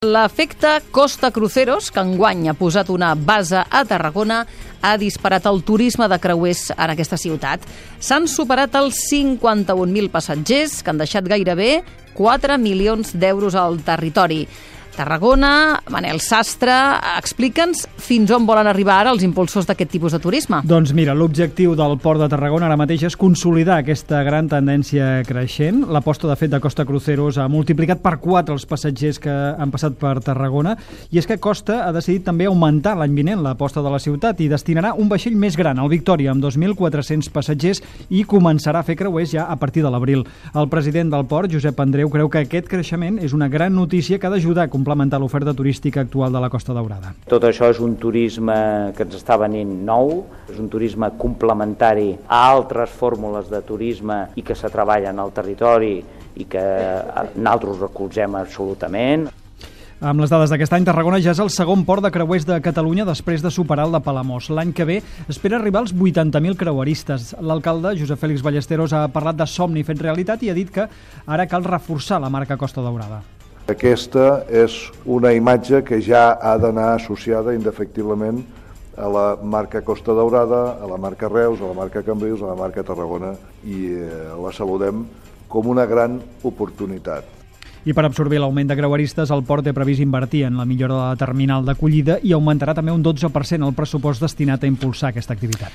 L'efecte Costa Cruceros, que enguany ha posat una base a Tarragona, ha disparat el turisme de creuers en aquesta ciutat. S'han superat els 51.000 passatgers, que han deixat gairebé 4 milions d'euros al territori. Tarragona, Manel Sastre, explica'ns fins on volen arribar ara els impulsors d'aquest tipus de turisme. Doncs mira, l'objectiu del Port de Tarragona ara mateix és consolidar aquesta gran tendència creixent. L'aposta, de fet, de Costa Cruceros ha multiplicat per 4 els passatgers que han passat per Tarragona, i és que Costa ha decidit també augmentar l'any vinent l'aposta de la ciutat i destinarà un vaixell més gran, el Victòria, amb 2.400 passatgers, i començarà a fer creuers ja a partir de l'abril. El president del Port, Josep Andreu, creu que aquest creixement és una gran notícia que ha d'ajudar a complementar l'oferta turística actual de la Costa Daurada. Tot això és un turisme que ens està venint nou, és un turisme complementari a altres fórmules de turisme i que se treballen al territori i que nosaltres recolzem absolutament. Amb les dades d'aquest any, Tarragona ja és el segon port de creuers de Catalunya després de superar el de Palamós. L'any que ve espera arribar als 80.000 creueristes. L'alcalde, Josep Fèlix Ballesteros, ha parlat de somni fet realitat i ha dit que ara cal reforçar la marca Costa Daurada. Aquesta és una imatge que ja ha d'anar associada indefectiblement a la marca Costa Daurada, a la marca Reus, a la marca Cambrils, a la marca Tarragona, i la saludem com una gran oportunitat. I per absorbir l'augment de creueristes, el port té previst invertir en la millora de la terminal d'acollida i augmentarà també un 12% el pressupost destinat a impulsar aquesta activitat.